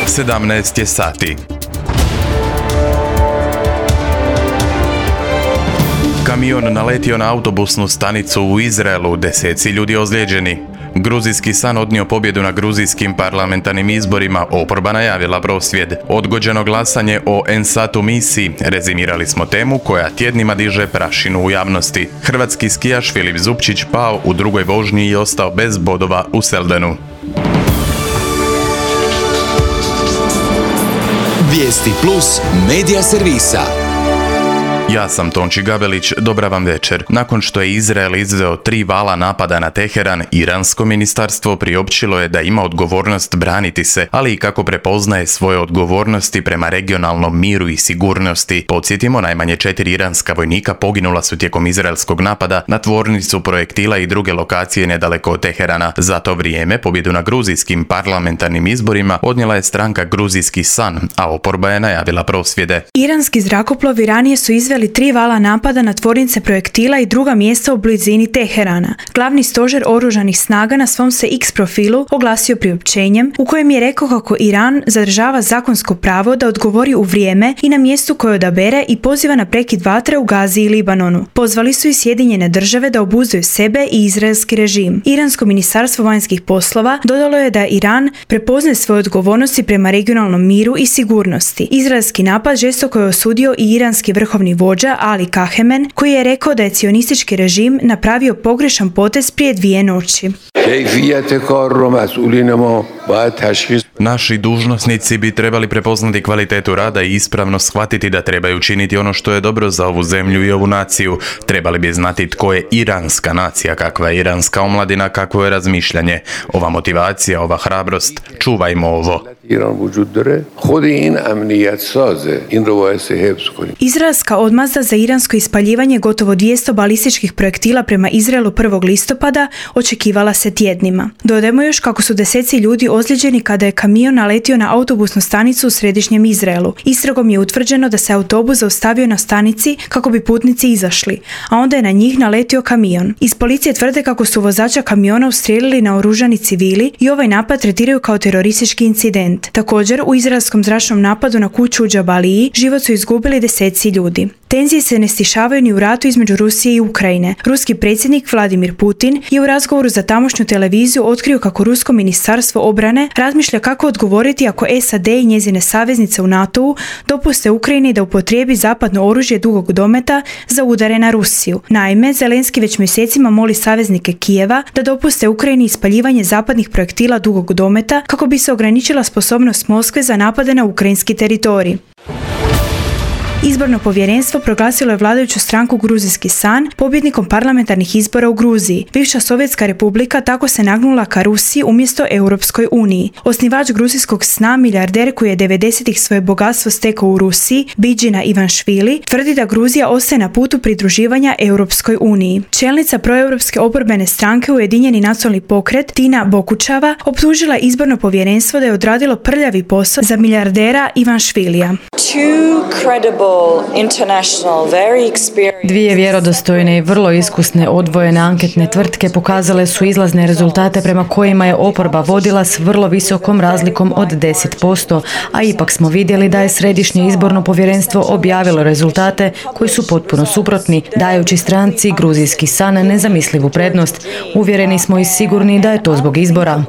17 je sati. Kamion naletio na autobusnu stanicu u Izraelu, 10 ljudi ozlijeđeni. Gruzijski san odnio pobjedu na gruzijskim parlamentarnim izborima, oporba najavila prosvjed. Odgođeno glasanje o Ensatu misiji, rezimirali smo temu koja tjednima diže prašinu u javnosti. Hrvatski skijaš Filip Zupčić pao u drugoj vožnji i ostao bez bodova u Seldenu. Vijesti plus medija servisa. Ja sam Tonči Gabelić, dobra vam večer. Nakon što je Izrael izveo 3 vala napada na Teheran, iransko ministarstvo priopćilo je da ima odgovornost braniti se, ali i kako prepoznaje svoje odgovornosti prema regionalnom miru i sigurnosti. Podsjetimo, najmanje 4 iranska vojnika poginula su tijekom izraelskog napada na tvornicu projektila i druge lokacije nedaleko od Teherana. Za to vrijeme pobjedu na gruzijskim parlamentarnim izborima odnijela je stranka Gruzijski san, a oporba je najavila prosvjede. Iranski zrakoplovi ranije su izveli 3 vala napada na tvornice projektila i druga mjesta u blizini Teherana. Glavni stožer oružanih snaga na svom se X profilu oglasio priopćenjem u kojem je rekao kako Iran zadržava zakonsko pravo da odgovori u vrijeme i na mjestu koje odabere i poziva na prekid vatre u Gazi i Libanonu. Pozvali su i Sjedinjene države da obuzdaju sebe i izraelski režim. Iransko ministarstvo vanjskih poslova dodalo je da Iran prepoznaje svoje odgovornosti prema regionalnom miru i sigurnosti. Izraelski napad žestoko je osudio i iranski vrhovni vođa Ali Kahemen, koji je rekao da je cionistički režim napravio pogrešan potez prije 2 noći. Naši dužnosnici bi trebali prepoznati kvalitetu rada i ispravno shvatiti da trebaju činiti ono što je dobro za ovu zemlju i ovu naciju. Trebali bi znati tko je iranska nacija, kakva je iranska omladina, kakvo je razmišljanje. Ova motivacija, ova hrabrost, čuvajmo ovo. Izraelska odmazda za iransko ispaljivanje gotovo 200 balističkih projektila prema Izraelu 1. listopada očekivala se tjednima. Dodajmo još kako su 10 ljudi ozlijeđeni kada je kamion naletio na autobusnu stanicu u središnjem Izraelu. Istragom je utvrđeno da se autobus zaustavio na stanici kako bi putnici izašli, a onda je na njih naletio kamion. Iz policije tvrde kako su vozača kamiona ustrijelili naoružani civili i ovaj napad tretiraju kao teroristički incident. Također, u izraelskom zračnom napadu na kuću u Džabaliji život su izgubili 10 ljudi. Tenzije se ne stišavaju ni u ratu između Rusije i Ukrajine. Ruski predsjednik Vladimir Putin je u razgovoru za tamošnju televiziju otkrio kako rusko ministarstvo obrane razmišlja kako odgovoriti ako SAD i njezine saveznice u NATO-u dopuste Ukrajini da upotrijebi zapadno oružje dugog dometa za udare na Rusiju. Naime, Zelenski već mjesecima moli saveznike Kijeva da dopuste Ukrajini ispaljivanje zapadnih projektila dugog dometa kako bi se ograničila sposobnost Moskve za napade na ukrajinski teritorij. Izborno povjerenstvo proglasilo je vladajuću stranku Gruzijski san pobjednikom parlamentarnih izbora u Gruziji. Bivša Sovjetska republika tako se nagnula ka Rusiji umjesto Europskoj uniji. Osnivač Gruzijskog sna, milijarder koji je 90-ih svoje bogatstvo stekao u Rusiji, Biđina Ivanšvili, tvrdi da Gruzija ostaje na putu pridruživanja Europskoj uniji. Čelnica proeuropske oporbene stranke Ujedinjeni nacionalni pokret, Tina Bokučava, optužila izborno povjerenstvo da je odradilo prljavi posao za milijardera Ivanšvilija. Dvije vjerodostojne i vrlo iskusne odvojene anketne tvrtke pokazale su izlazne rezultate prema kojima je oporba vodila s vrlo visokom razlikom od 10%, a ipak smo vidjeli da je Središnje izborno povjerenstvo objavilo rezultate koji su potpuno suprotni, dajući stranci Gruzijski san nezamislivu prednost. Uvjereni smo i sigurni da je to zbog izbora.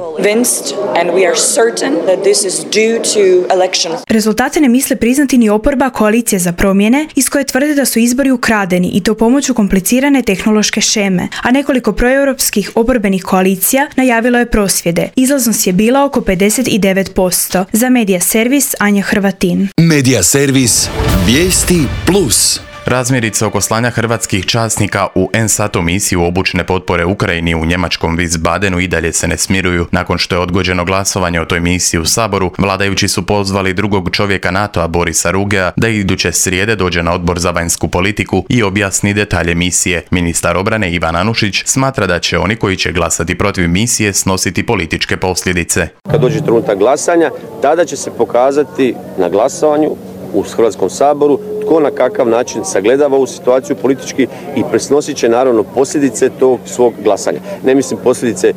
Rezultate ne misle priznati ni oporba Koalicije za promjene, iz koje tvrde da su izbori ukradeni i to pomoću komplicirane tehnološke šeme, a nekoliko proeuropskih oporbenih koalicija najavilo je prosvjede. Izlaznost je bila oko 59%. Za Medija servis Anja Hrvatin. Medija servis Vijesti plus. Razmjerice oko slanja hrvatskih časnika u Ensatu misiju obučne potpore Ukrajini u njemačkom Wiesbadenu i dalje se ne smiruju. Nakon što je odgođeno glasovanje o toj misiji u Saboru, vladajući su pozvali drugog čovjeka NATO-a Borisa Rugea da iduće srijede dođe na odbor za vanjsku politiku i objasni detalje misije. Ministar obrane Ivan Anušić smatra da će oni koji će glasati protiv misije snositi političke posljedice. Kad dođe trenutak glasanja, tada će se pokazati na glasovanju u Hrvatskom saboru tko na kakav način sagledava ovu situaciju politički i presnosit će naravno posljedice tog svog glasanja. Ne mislim posljedice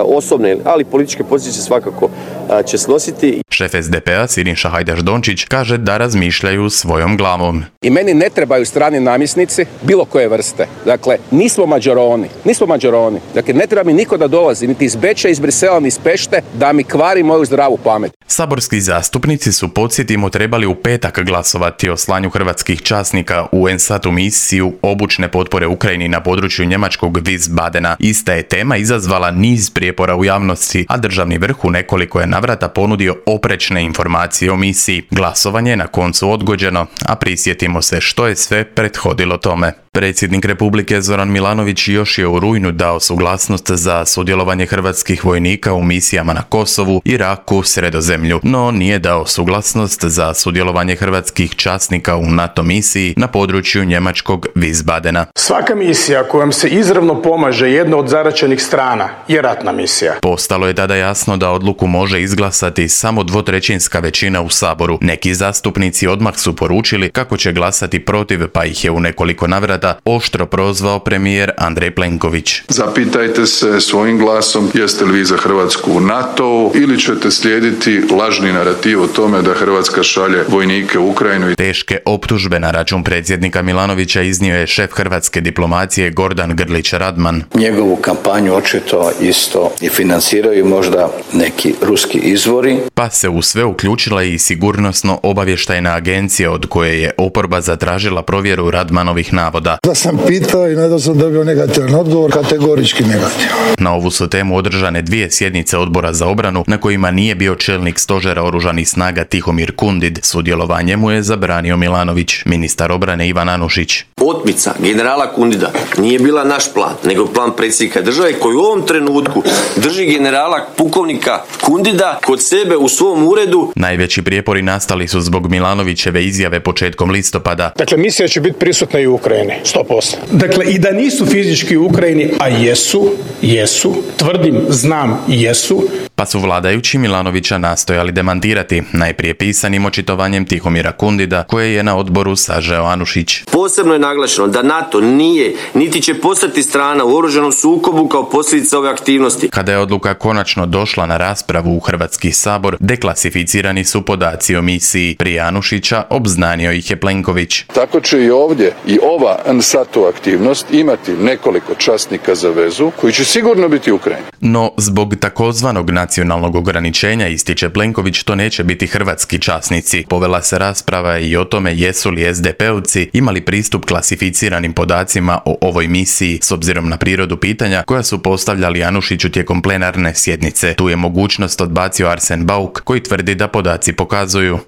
osobne, ali političke pozicije svakako će snositi. Šef SDP-a Siniša Hajdaš-Dončić kaže da razmišljaju svojom glavom. I meni ne trebaju strani namjesnici bilo koje vrste. Dakle, nismo mađaroni. Dakle, ne treba mi niko da dolazi, niti iz Beča, iz Brisela, ni iz Pešte, da mi kvari moju zdravu pamet. Saborski zastupnici su, podsjetimo, trebali u petak glasovati o slanju hrvatskih časnika u NSATU misiju obučne potpore Ukrajini na području njemačkog Wiesbadena. Ista je tema izazvala niz prijepora u javnosti, a državni vrh u nekoliko je navrata ponudio oprečne informacije o misiji. Glasovanje je na koncu odgođeno, a prisjetimo se što je sve prethodilo tome. Predsjednik Republike Zoran Milanović još je u rujnu dao suglasnost za sudjelovanje hrvatskih vojnika u misijama na Kosovu, Iraku, Sredozemlju, no nije dao suglasnost za sudjelovanje hrvatskih časnika u NATO misiji na području njemačkog Wiesbadena. Svaka misija kojom se izravno pomaže jedna od zaraćenih strana je ratna misija. Postalo je tada jasno da odluku može izglasati samo 2/3 većina u Saboru. Neki zastupnici odmah su poručili kako će glasati protiv, pa ih je u nekoliko navrata oštro prozvao premijer Andrej Plenković. Zapitajte se svojim glasom jeste li vi za Hrvatsku u NATO ili ćete slijediti lažni narativ o tome da Hrvatska šalje vojnike u Ukrajinu. Teške optužbe na račun predsjednika Milanovića iznio je šef hrvatske diplomacije Gordan Grlić Radman. Njegovu kampanju očito isto i financiraju možda neki ruski izvori. Pa se u sve uključila i sigurnosno-obavještajna agencija od koje je oporba zatražila provjeru Radmanovih navoda. Da sam pitao i nadal sam dobio negativan odgovor, kategorički negativan. Na ovu su temu održane 2 sjednice Odbora za obranu na kojima nije bio čelnik stožera oružanih snaga Tihomir Kundid. Sudjelovanje mu je zabranio Milanović. Ministar obrane Ivan Anušić. Otmica generala Kundida nije bila naš plan, nego plan predsjednika države koji u ovom trenutku drži generala pukovnika Kundida kod sebe u svom uredu. Najveći prijepori nastali su zbog Milanovićeve izjave početkom listopada. Dakle, misija će biti prisutna i u Ukrajini, 100%. Dakle, i da nisu fizički u Ukrajini, a jesu, tvrdim, znam, jesu. Pa su vladajući Milanovića nastojali demantirati, najprije pisanim očitovanjem Tihomira Kundida, koje je na odboru sažeo Anušić. Posebno je naglašeno da NATO nije, niti će postati strana u oružanom sukobu kao posljedica ove aktivnosti. Kada je odluka konačno došla na raspravu u Hrvatski sabor, deklasificirani su podaci o misiji. Prije Anušića obznanio ih je Plenković. Tako će i ovdje i ova NSATU aktivnost imati nekoliko časnika za vezu koji će sigurno biti u Ukrajini. No, zbog takozvanog nacionalnog ograničenja, ističe Plenković, to neće biti hrvatski časnici. Povela se rasprava i o tome jesu li SDP-ovci imali pristup klasificiranim podacima o ovoj misiji s obzirom na prirodu pitanja koja su postavljali Anušiću tijekom plenarne sjednice. Tu je mogućnost odbacio Arsen Bauk koji tvrdi da podaci pokazuju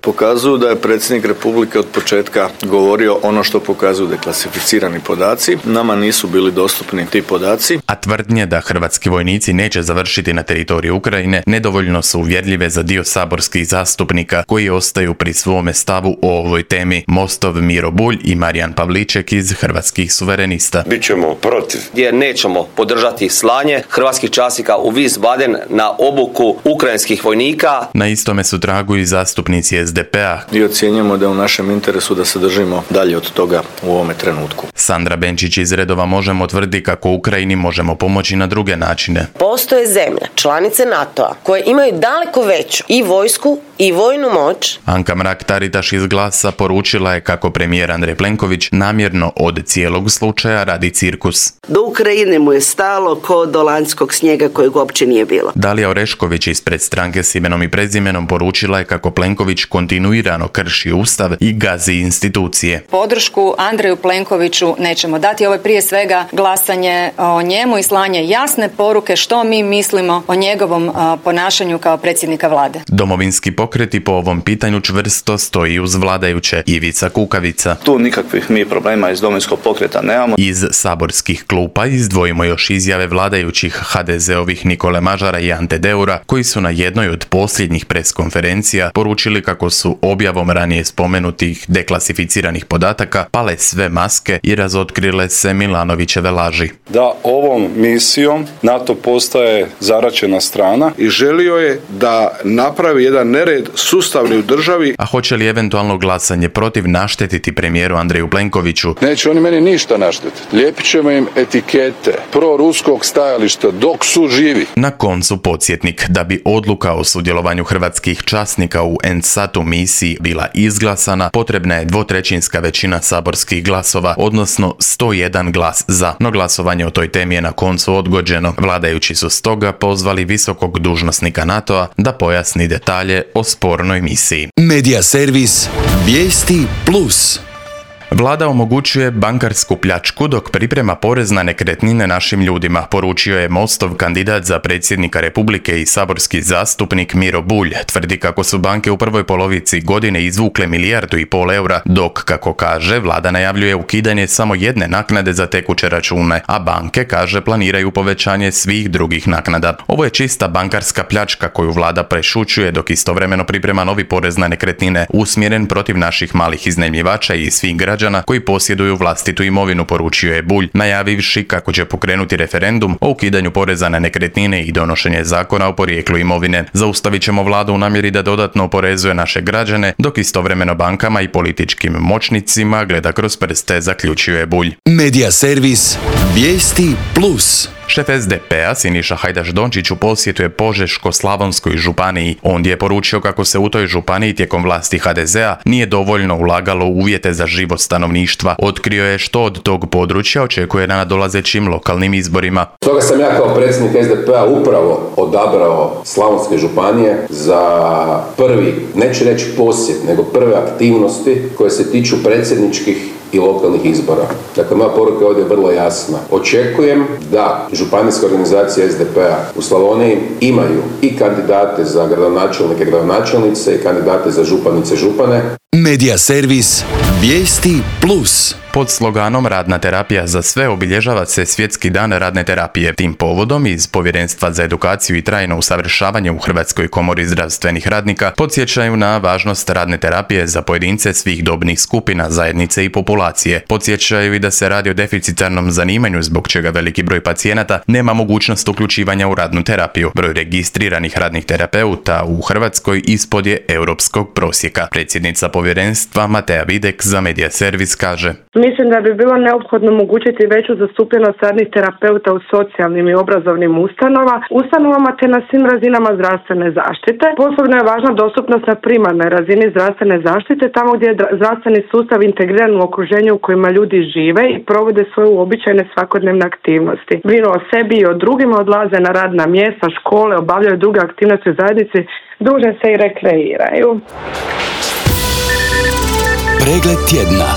da je predsjednik Republike od početka govorio ono što pokazuju deklasificirani podaci. Nama nisu bili dostupni ti podaci. A tvrdnje da hrvatski vojnici neće završiti na teritoriju Ukrajine nedovoljno su uvjerljive za dio saborskih zastupnika koji ostaju pri svome stavu o ovoj temi. Mostov Miro Bulj i Marijan Pavliček iz Hrvatskih suverenista. Bićemo protiv. Jer nećemo podržati slanje hrvatskih časnika u Wiesbaden na obuku ukrajinskih vojnika. Na istome su tragu i zastupnici SDP-a. I ocjenjujemo da je u našem interesu da se držimo dalje od toga u ovome trenutku. Sandra Benčić iz redova Možemo tvrdi kako Ukrajini možemo pomoći na druge načine. Postoje zemlje, članice NATO-a, koje imaju daleko veću i vojsku i vojnu moć. Anka Mrak-Taritaš iz Glasa poručila je kako premijer Andrej Plenković namjerno od cijelog slučaja radi cirkus. Do Ukrajine mu je stalo ko do lanjskog snijega kojeg uopće nije bilo. Dalija Orešković ispred stranke s imenom i prezimenom poručila je kako Plenković kontinuirano krši ustav i gazi institucije. Podršku Andreju Plenkoviću nećemo dati. Ovo je prije svega glasanje o njemu i slanje jasne poruke što mi mislimo o njegovom ponašanju kao predsjednika vlade. Domovinski pokreti po ovom pitanju čvrsto stoji uz vladajuće. Ivica Kukavica. Tu nikakvih mi problema iz Domovinskog pokreta nemamo. Iz saborskih klupa izdvojimo još izjave vladajućih HDZ-ovih Nikole Mažara i Ante Deura, koji su na jednoj od posljednjih preskonferencija poručili kako su objavom ranije spomenutih deklasificiranih podataka pale sve maske podatke i razotkrile se Milanovićeve laži. Da ovom misijom NATO postaje zaraćena strana i želio je da napravi jedan nered sustavni u državi. A hoće li eventualno glasanje protiv naštetiti premijeru Andreju Plenkoviću? Neće oni meni ništa naštetiti. Lijepit ćemo im etikete proruskog stajališta dok su živi. Na koncu podsjetnik, da bi odluka o sudjelovanju hrvatskih časnika u NSAT-u misiji bila izglasana, potrebna je 2/3 većina saborskih glasova, odnosno 101 glas za. No glasovanje o toj temi je na koncu odgođeno. Vladajući su stoga pozvali visokog dužnosnika NATO-a da pojasni detalje o spornoj misiji. Medija servis Vijesti Plus. Vlada omogućuje bankarsku pljačku dok priprema porez na nekretnine našim ljudima, poručio je Mostov kandidat za predsjednika Republike i saborski zastupnik Miro Bulj. Tvrdi kako su banke u prvoj polovici godine izvukle 1,5 milijardu eura, dok, kako kaže, vlada najavljuje ukidanje samo jedne naknade za tekuće račune, a banke, kaže, planiraju povećanje svih drugih naknada. Ovo je čista bankarska pljačka koju vlada prešućuje dok istovremeno priprema novi porez na nekretnine usmjeren protiv naših malih iznajmljivača i svih građana koji posjeduju vlastitu imovinu, poručio je Bulj, najavivši kako će pokrenuti referendum o ukidanju poreza na nekretnine i donošenje zakona o porijeklu imovine. Zaustavit ćemo vladu u namjeri da dodatno oporezuje naše građane, dok istovremeno bankama i političkim moćnicima gleda kroz prste, zaključio je Bulj. Medija servis Vijesti Plus. Šef SDP-a Siniša Hajdaš Dončić u posjetu je Požeško-slavonskoj županiji. On je poručio kako se u toj županiji tijekom vlasti HDZ-a nije dovoljno ulagalo u uvjete za život stanovništva. Otkrio je što od tog područja očekuje na nadolazećim lokalnim izborima. Stoga sam ja kao predsjednik SDP-a upravo odabrao Slavonske županije za prvi, neću reći posjet, nego prve aktivnosti koje se tiču predsjedničkih i lokalnih izbora. Dakle, moja poruka ovdje je vrlo jasna. Očekujem da županijska organizacija SDP-a u Slavoniji imaju i kandidate za gradonačelnike, gradonačelnice i kandidate za županice, župane. Medija servis Vijesti Plus. Pod sloganom Radna terapija za sve obilježava se Svjetski dan radne terapije. Tim povodom iz Povjerenstva za edukaciju i trajno usavršavanje u Hrvatskoj komori zdravstvenih radnika podsjećaju na važnost radne terapije za pojedince svih dobnih skupina, zajednice i populacije. Podsjećaju i da se radi o deficitarnom zanimanju zbog čega veliki broj pacijenata nema mogućnost uključivanja u radnu terapiju. Broj registriranih radnih terapeuta u Hrvatskoj ispod je europskog prosjeka. Predsjednica Povjerenstva Matea Videk za Medija servis kaže: Mislim da bi bilo neophodno omogućiti veću zastupljenost radnih terapeuta u socijalnim i obrazovnim ustanovama te na svim razinama zdravstvene zaštite. Posebno je važna dostupnost na primarnoj razini zdravstvene zaštite, tamo gdje je zdravstveni sustav integriran u okruženju u kojima ljudi žive i provode svoje uobičajene svakodnevne aktivnosti. Brinu o sebi i o drugima, odlaze na radna mjesta, škole, obavljaju druge aktivnosti u zajednici, druže se i rekreiraju. Pregled tjedna.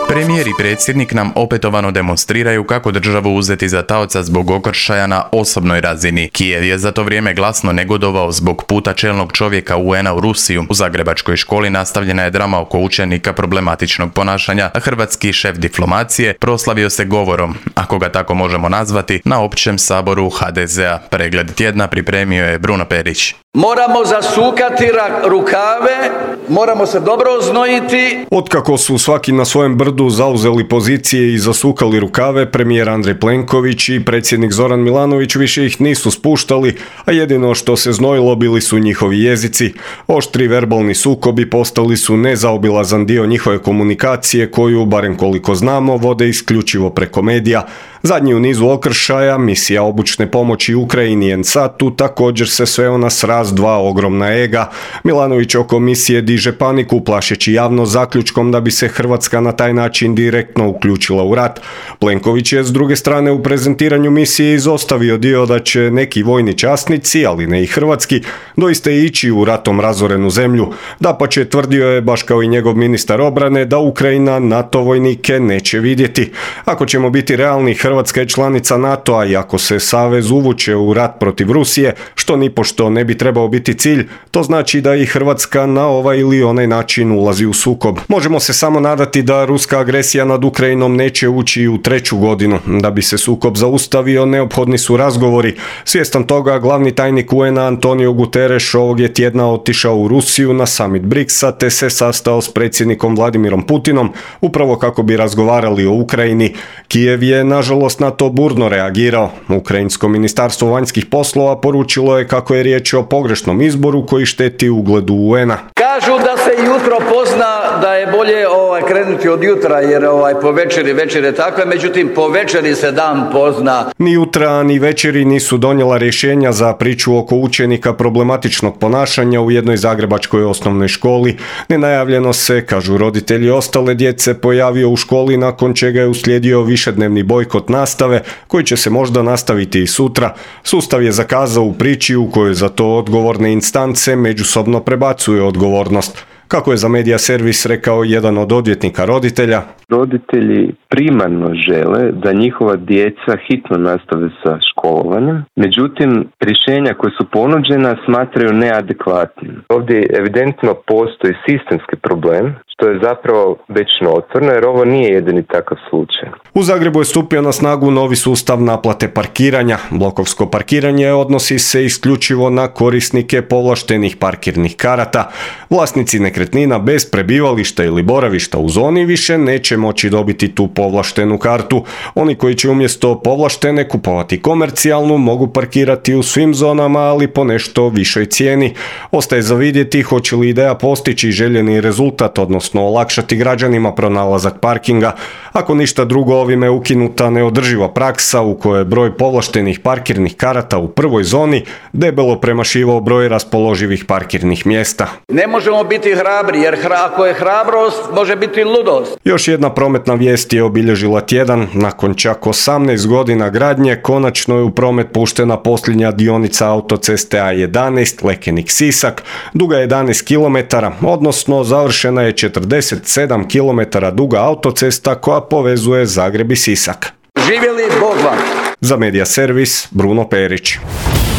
Premijer i predsjednik nam opetovano demonstriraju kako državu uzeti za taoca zbog okršaja na osobnoj razini. Kijev je za to vrijeme glasno negodovao zbog puta čelnog čovjeka UN-a u Rusiju. U zagrebačkoj školi nastavljena je drama oko učenika problematičnog ponašanja, a hrvatski šef diplomacije proslavio se govorom, ako ga tako možemo nazvati, na općem saboru HDZ-a. Pregled tjedna pripremio je Bruno Perić. Moramo zasukati rukave, moramo se dobro oznojiti. Otkako su svaki na svojem brdu zauzeli pozicije i zasukali rukave, premijer Andrej Plenković i predsjednik Zoran Milanović više ih nisu spuštali, a jedino što se znojilo bili su njihovi jezici. Oštri verbalni sukobi postali su nezaobilazan dio njihove komunikacije koju, barem koliko znamo, vode isključivo preko medija. Zadnji u nizu okršaja, misija obučne pomoći Ukrajini i NSAT-u, također se sveo na sraz dva ogromna ega. Milanović oko misije diže paniku, plašeći javno zaključkom da bi se Hrvatska na taj način direktno uključila u rat. Plenković je s druge strane u prezentiranju misije izostavio dio da će neki vojni časnici, ali ne i hrvatski, doista ići u ratom razorenu zemlju. Dapače, tvrdio je, baš kao i njegov ministar obrane, da Ukrajina NATO vojnike neće vidjeti. Ako ćemo biti realni, Hrvatska Hrvatska je članica NATO-a i ako se savez uvuče u rat protiv Rusije, što nipošto ne bi trebao biti cilj, to znači da i Hrvatska na ovaj ili onaj način ulazi u sukob. Možemo se samo nadati da ruska agresija nad Ukrajinom neće ući u 3. godinu. Da bi se sukob zaustavio, neophodni su razgovori. Svjestan toga, glavni tajnik UN-a Antonio Guterres ovog je tjedna otišao u Rusiju na summit BRICS-a te se sastao s predsjednikom Vladimirom Putinom, upravo kako bi razgovarali o Ukrajini. Kijev je nažalost na to burno reagirao. Ukrajinsko ministarstvo vanjskih poslova poručilo je kako je riječ o pogrešnom izboru koji šteti ugledu UN-a. Kažu da se jutro pozna, da je bolje krenuti od jutra jer po večer je takva, međutim po večeri se dan pozna. Ni jutra ni večeri nisu donijela rješenja za priču oko učenika problematičnog ponašanja u jednoj zagrebačkoj osnovnoj školi. Nenajavljeno se, kažu roditelji ostale djece, pojavio u školi nakon čega je uslijedio višednevni bojkot nastave koji će se možda nastaviti i sutra. Sustav je zakazao u priči u kojoj za to odgovorne instance međusobno prebacuju odgovornost. Kako je za Medija Servis rekao jedan od odvjetnika roditelja, roditelji primarno žele da njihova djeca hitno nastave sa školovanjem, međutim rješenja koja su ponuđena smatraju neadekvatnim. Ovdje evidentno postoji sistemski problem, što je zapravo već notorno, jer ovo nije jedini takav slučaj. U Zagrebu je stupio na snagu novi sustav naplate parkiranja. Blokovsko parkiranje odnosi se isključivo na korisnike povlaštenih parkirnih karata. Vlasnici nekretnina bez prebivališta ili boravišta u zoni više neće moći dobiti tu povlaštenu kartu. Oni koji će umjesto povlaštene kupovati komercijalnu mogu parkirati u svim zonama, ali po nešto višoj cijeni. Ostaje za vidjeti hoće li ideja postići željeni rezultat, odnosno olakšati građanima pronalazak parkinga. Ako ništa drugo, ovime je ukinuta neodrživa praksa u kojoj je broj povlaštenih parkirnih karata u prvoj zoni debelo premašivao broj raspoloživih parkirnih mjesta. Ne možemo biti hrabri, jer ako je hrabrost, može biti ludost. Još jedna prometna vijest je obilježila tjedan. Nakon čak 18 godina gradnje, konačno je u promet puštena posljednja dionica autoceste A11 Lekenik-Sisak, duga 11 km, odnosno završena je 47 km duga autocesta koja povezuje Zagreb i Sisak. Živjeli Bog vam! Za Medija Servis, Bruno Perić.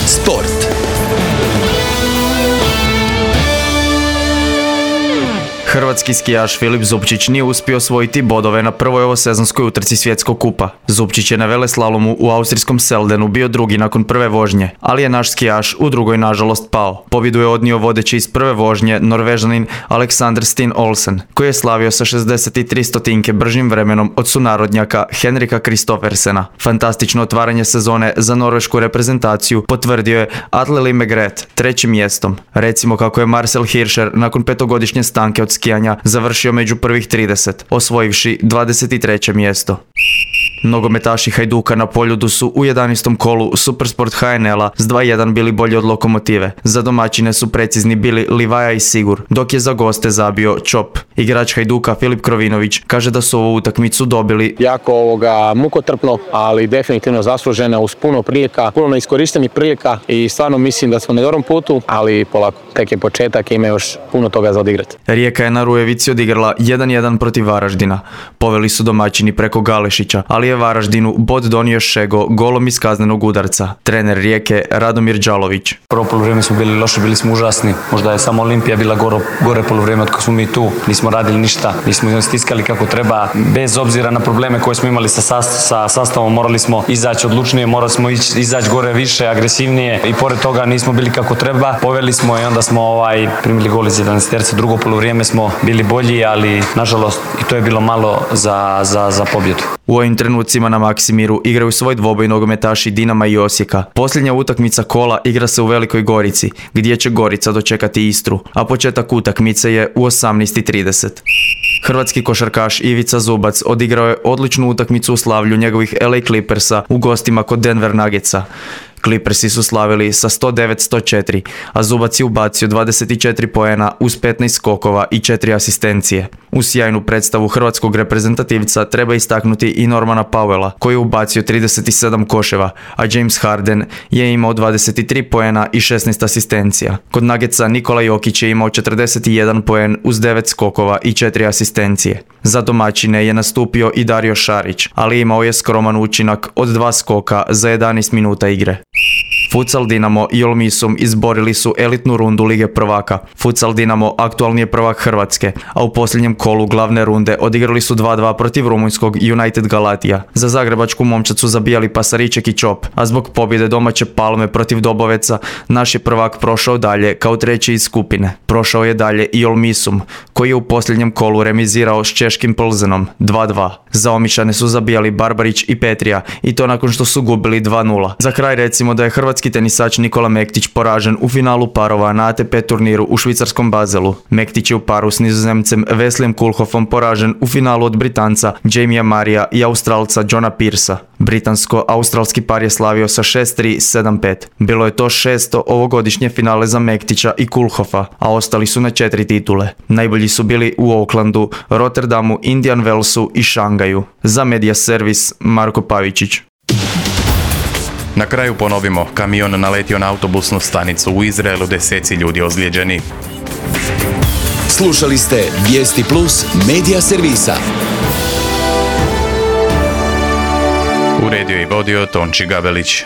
Sport. Hrvatski skijaš Filip Zupčić nije uspio osvojiti bodove na prvoj ovosezonskoj utrci svjetskog kupa. Zupčić je na veleslalomu u austrijskom Seldenu bio drugi nakon prve vožnje, ali je naš skijaš u drugoj nažalost pao. Pobjedu je odnio vodeći iz prve vožnje Norvežanin Alexander Steen Olsen, koji je slavio sa 63 stotinke bržim vremenom od sunarodnjaka Henrika Kristoffersena. Fantastično otvaranje sezone za norvešku reprezentaciju potvrdio je Atle Limegret trećim mjestom. Recimo kako je Marcel Hirscher nakon petogodišnje stanke od skijanja završio među prvih 30, osvojivši 23. mjesto. Nogometaši Hajduka na Poljudu su u 11. kolu Supersport HNL-a s 2:1 bili bolji od Lokomotive. Za domaćine su precizni bili Livaja i Sigur, dok je za goste zabio Čop. Igrač Hajduka Filip Krovinović kaže da su ovu utakmicu dobili jako mukotrpno, ali definitivno zaslužena uz puno prilika, puno neiskorištenih prilika i stvarno mislim da smo na dobrom putu, ali polako, tek je početak i ima još puno toga za odigrati. Rijeka je na Rujevici odigrala 1:1 protiv Varaždina. Poveli su domaćini preko Galešića, ali je Varaždinu bod donio Šego golom iz kaznenog udarca. Trener Rijeke Radomir Đalović. Prvo poluvrijeme smo bili loši, bili smo užasni. Možda je samo Olimpija bila gore poluvrijeme od kako smo mi tu. Nismo radili ništa, nismo stiskali kako treba. Bez obzira na probleme koje smo imali sa sastavom, morali smo izaći odlučnije, morali smo izaći gore više, agresivnije i pored toga nismo bili kako treba. Poveli smo i onda smo primili gol iz 11. Drugo poluvrijeme smo bili bolji, ali nažalost i to je bilo malo za pobjedu. U ovim trenucima na Maksimiru igraju svoj dvoboj nogometaši Dinama i Osijeka. Posljednja utakmica kola igra se u Velikoj Gorici, gdje će Gorica dočekati Istru, a početak utakmice je u 18:30. Hrvatski košarkaš Ivica Zubac odigrao je odličnu utakmicu u slavlju njegovih LA Clippersa u gostima kod Denver Nuggetsa. Clippersi su slavili sa 109-104, a Zubac je ubacio 24 poena uz 15 skokova i 4 asistencije. U sjajnu predstavu hrvatskog reprezentativca treba istaknuti i Normana Powella, koji je ubacio 37 koševa, a James Harden je imao 23 poena i 16 asistencija. Kod Nuggetsa Nikola Jokić je imao 41 poen uz 9 skokova i 4 asistencije. Za domaćine je nastupio i Dario Šarić, ali imao je skroman učinak od 2 skoka za 11 minuta igre. Futsal Dinamo i Olmisum izborili su elitnu rundu Lige prvaka. Futsal Dinamo aktualni je prvak Hrvatske, a u posljednjem kolu glavne runde odigrali su 2-2 protiv rumunjskog United Galatija. Za zagrebačku momčad su zabijali Pasariček i Čop, a zbog pobjede domaće Palme protiv Doboveca, naš je prvak prošao dalje kao treći iz skupine. Prošao je dalje i Olmisum, koji je u posljednjem kolu remizirao s češkim Plzenom 2-2. Za Omišane su zabijali Barbarić i Petrija, i to nakon što su gubili 2-0. Za kraj recimo da je hrvatski tenisač Nikola Mektić poražen u finalu parova na ATP turniru u švicarskom Bazelu. Mektić je u paru s Nizozemcem Wesleym Koolhoffom poražen u finalu od Britanca Jamia Marija i Australca Johna Pearsa. Britansko-australski par je slavio sa 6-3, 7-5. Bilo je to 6. ovogodišnje finale za Mektića i Koolhoffa, a ostali su na 4 titule. Najbolji su bili u Aucklandu, Rotterdamu, Indian Wellsu i Šangaju. Za Media Servis Marko Pavičić. Na kraju ponovimo, kamion naletio na autobusnu stanicu u Izraelu, 10 ljudi ozlijeđeni. Slušali ste Vijesti Plus Media Servisa. Uredio i vodio Tonči Gabelić.